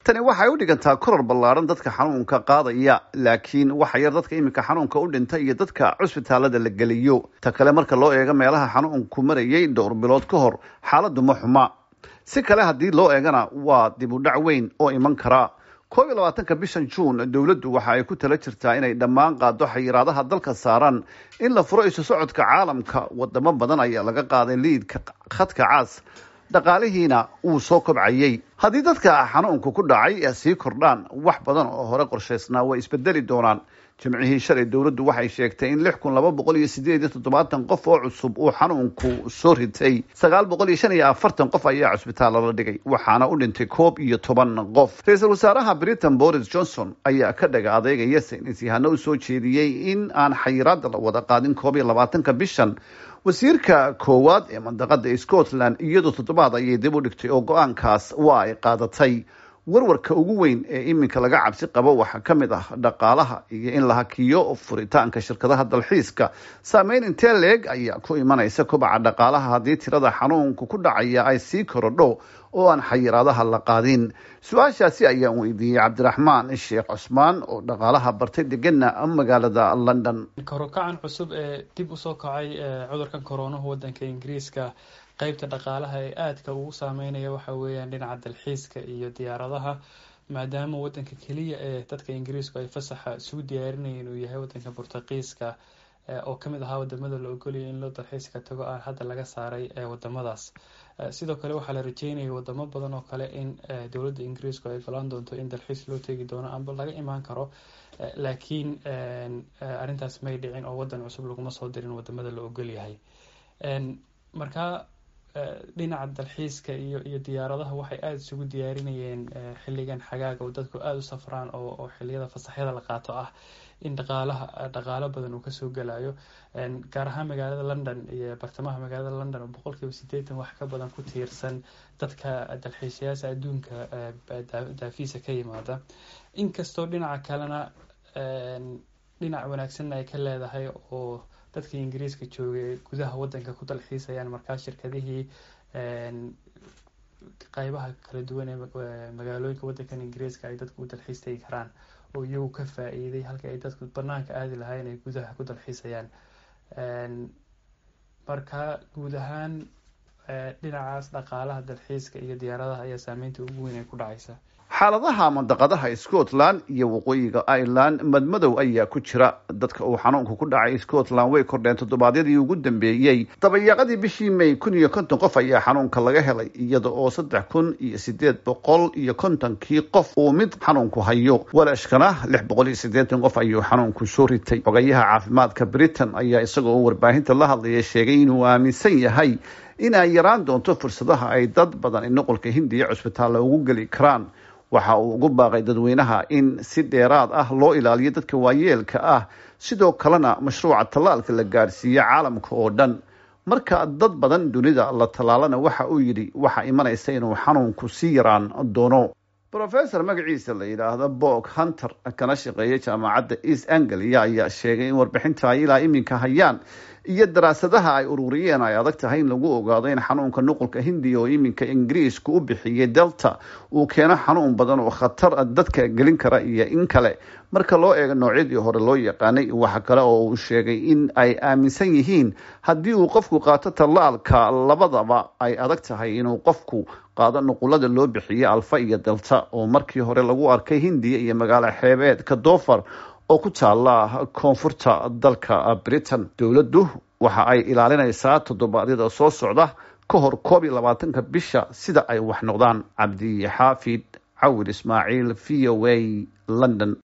Tani waxay u dhigantaa koror ballaaran dadka xanuunka qaadaya, laakiin waxa yar dadka iminka xanuunka u dhintay iyo dadka cusbitaalada la geliyo. Ta kale, marka loo eego meelaha xanuunku marayay dhowr bilood ka hor, xaaladdu ma xuma. Si kale haddii loo eegana, waa dib u dhac weyn oo iman kara. 21-ka bishan Juun dowladdu waxa ay ku tala jirtaa inay dhammaan qaado xayiraadaha dalka saaran, in la furo isu socodka caalamka. Wadamo badan ayaa laga qaaday liidka khadka cas, dhaqaalihiina wuu soo kobcayey. Haddii dadka xanuunku ku dhacay sii kordhaan, wax badan oo hore qorshaysnaa way isbedeli doonaan. Jimcihii shalay dowladdu waxay sheegtay in 6278 qof oo cusub uu xanuunku soo ritay, 945 qof ayaa cusbitaalla la dhigay, waxaana u dhintay 11 qof. Ra-iisul wasaaraha Britain Boris Johnson ayaa ka dhaga adeegaya saynis yahano u soo jeediyey in aan xayiraada la wada qaadin 21-ka bishan. Wasiirka koowaad ee mandaqada Scotland iyadoo toddobaad ayay dib u dhigtay oo go-aankaas waa ay qaadatay. Warwarka ugu weyn ee iminka laga cabsi qabo waxaa ka mid ah dhaqaalaha iyo in la hakiyo furitaanka shirkadaha dalxiiska. Saameyn intee leeg ayaa ku imanaysa kobaca dhaqaalaha haddii tirada xanuunka ku dhacaya ay sii korodho oo aan xayiraadaha la qaadin? Su-aashaasi ayaan weydiiyey Cabdiraxmaan Sheekh Cusmaan oo dhaqaalaha bartay, degana magaalada London. Korokacan cusub ee dib usoo kacay cudurkan koroonahu wadanka Ingiriiska, qeybta dhaqaalaha ee aadka ugu saameynaya waxa weeyaan dhinaca dalxiiska iyo diyaaradaha, maadaama wadanka keliya ee dadka Ingiriisku ay fasaxa isugu diyaarinayeen uu yahay wadanka Bortuqiiska, oo kamid ahaa wadamada la ogolaya in loo dalxiiska tago, aan hadda laga saaray wadamadaas. Sidoo kale waxaa la rajeynayay wadamo badan oo kale in dowladda Ingiriisku ay ogolaan doonto in dalxiis loo tegi doono amba laga imaan karo, laakiin arrintaas may dhicin oo wadan cusub laguma soo dirin wadamada la ogolyahay. Marka dhinaca dalxiiska iyo diyaaradaha waxay aada isugu diyaarinayeen xilligan xagaaga oo dadku aada u safraan oo xiliyada fasaxyada la qaato ah, in dhaqaalaha dhaqaalo badan uu kasoo gelayo, gaar ahaan magaalada London iyo bartamaha magaalada London oo 80% wax ka badan ku tiirsan dadka dalxiisayaasha adduunka daafiisa ka yimaada. Inkastoo dhinaca kalena dhinac wanaagsanna ay ka leedahay oo dadkii Ingiriiska joogay gudaha wadanka ku dalxiisayaan, markaa shirkadihii qeybaha kala duwan ee magaalooyinka wadankan Ingiriiska ay dadku u dalxiis tegi karaan oo iyagu ka faa-iiday halka ay dadku banaanka aadi lahayn ay gudaha ku dalxiisayaan. Marka guud ahaan dhinacaas dhaqaalaha dalxiiska iyo diyaaradaha ayaa saameynta ugu weyn ay ku dhacaysa. Xaaladaha mandaqadaha Scotland iyo Waqooyiga Ireland madmadow ayaa ku jira. Dadka uu xanuunka ku dhacay Scotland way kordheen toddobaadyadii ugu dambeeyey. Dabayaaqadii bishii May 1050 qof ayaa xanuunka laga helay, iyada oo 3850-kii qof uu mid xanuunku hayo. Walashkana 680 qof ayuu xanuunku soo ritay. Xogayaha caafimaadka Britain ayaa isagoo warbaahinta la hadlaya sheegay inuu aaminsan yahay in ay yaraan doonto fursadaha ay dad badan nuqulka Hindiya cusbitaalla ugu geli karaan. Waxa uu ugu baaqay dadweynaha in si dheeraad ah loo ilaaliyo dadka waayeelka ah, sidoo kalena mashruuca tallaalka la gaadhsiiyo caalamka oo dhan. Marka dad badan dunida la tallaalana, waxa uu yidhi, waxaa imanaysa inuu xanuunku sii yaraan doono. Professor magaciisa la yidhaahdo Bog Hunter, kana shaqeeya jaamacadda East Anglia, ayaa sheegay in warbixinta ay ilaa iminka hayaan iyo daraasadaha ay ururiyeen ay adag tahay in lagu ogaado in xanuunka nuqulka Hindiya oo iminka Ingiriisku u bixiyey Delta uu keeno xanuun badan oo khatar dadka gelin kara iyo in kale, marka loo eego noocyadii hore loo yaqaanay. Waxa kale oo uu sheegay in ay aaminsan yihiin haddii uu qofku qaato tallaalka labadaba ay adag tahay inuu qofku qaado nuqulada loo bixiyey Alfa iyo Delta, oo markii hore lagu arkay Hindiya iyo magaalo xeebeedka Dover oo ku taala koonfurta dalka Britain. Dowladdu waxa ay ilaalinaysaa toddobaadyada soo socda ka hor 21-ka bisha sida ay wax noqdaan. Cabdi Xaafid Cawil Ismaaciil, VOA, London.